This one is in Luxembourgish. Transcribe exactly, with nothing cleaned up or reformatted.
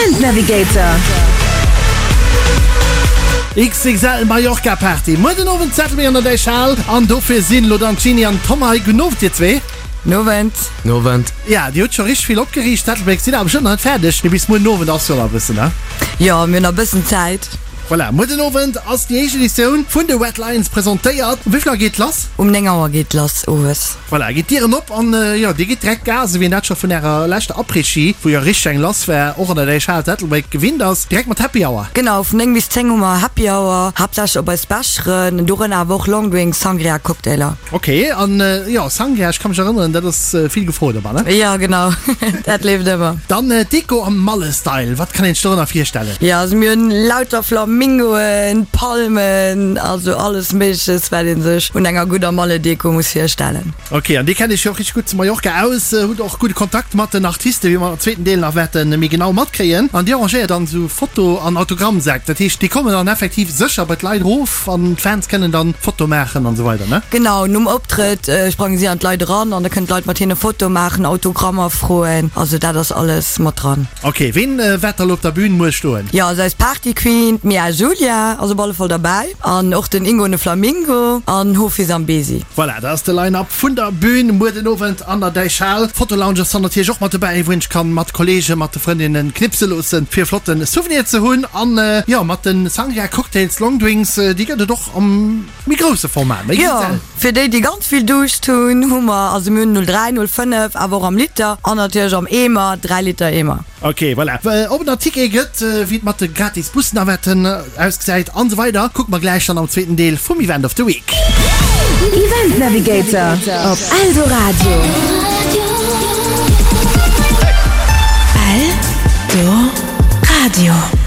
Event Navigator. XXL Mallorca Party muer den Owend zu Ettelbréck an der Däichhal an dofir sinn elo dann d'Jeanny an d'Tom hei. Gudden Owend dir zwee. Nowend. Nowend. Ja, dir hutt scho richteg vill opgeriicht. Ettelbréck sidd awer bestëmmt nach net fäerdeg, mee bis muer den Owend ass jo nach e bëssen, ne? Jo, mir hunn nach e bëssen Zäit. Voilà, muer den Owend ass déi éischt Editioun vun de Red Lions presentéiert. Um wéi vill Auer geet lass? Um néng Auer geet lass owes. Voilà, geet d'Dieren op an jo, dir gitt direkt Gas, esou wéi een dat scho vun ärer leschter Après-Ski, wou jo richteg eng lass war, och an der Däichhal zu Ettelbréck gewinnt ass. Direkt mat Happy Hour. Genau, vun néng bis zéng hu mer Happy Hour, haaptsächlech op eis Becheren, dorënner awer och Longdrinks, Sangria, Cocktailer. Ok, an jo, Sangria, ech ka mech erënneren, dat ass vill gefrot ëmmer, ne? Jo, genau, dat leeft ëmmer. Dann Deko am Malle-Style, wat kann een sech dorënner virstellen? Jo, also mir hunn lauter Flamingoen, Palmen, also alles Méigleches, wat ee sech un enger gudder Malle-Deko muss virstellen. Ok, an dir kennt iech jo och richteg gutt zu Mallorca aus, hutt och gudde Kontakt mat den Artisten, wéi mer am zweeten Deel nach wäerte méi genau matkréien. An dir arrangéiert dann esou Foto an Autogrammsäck, dat heescht, déi kommen dann effektiv sécher bei d'Leit erof an d'Fans kënnen dann Foto maachen an esou weider, ne? Genau, nom Optrëtt sprange si an d'Leit eran an da kënnen d'Leit mat hinne Foto maachen, Autogrammer froen, also dat ass alles mat dran. Ok, ween wäert da lo op der Bühn muer stoen? Jo, also eis Party Queen, d'Mia Julia ass op alle Fall derbäi an och den Ingo an de Flamingo an Hofi Zambezi. Voilà, dat ass de Line-Up vun der Bühn muer den Owend an der Däichhal. D'Fotolounge ass dann natierlech och mat dobäi, wou een sech kann mat Kollegen, mat de Frëndinnen knipse loossen, fir e flotten Souvenir ze hunn. An jo, mat de Sangria Cocktails, Longdrinks, déi gëtt et och am méi grousse Format, méi Jo, XL. fir déi, déi ganz vill Duuscht hunn, hu mer, also mir hunn null dräi, null fënnef, awer och am Liter an natierlech am Eemer, dräi Liter Eemer. Ok, voilà. Ob et nach Tickete gëtt, wéi et mat de gratis Busnavetten ausgesäit an esou weider, kucke mer gläich dann am zweeten Deel vum Event of the Week. Event Navigator op Eldoradio. Eldoradio.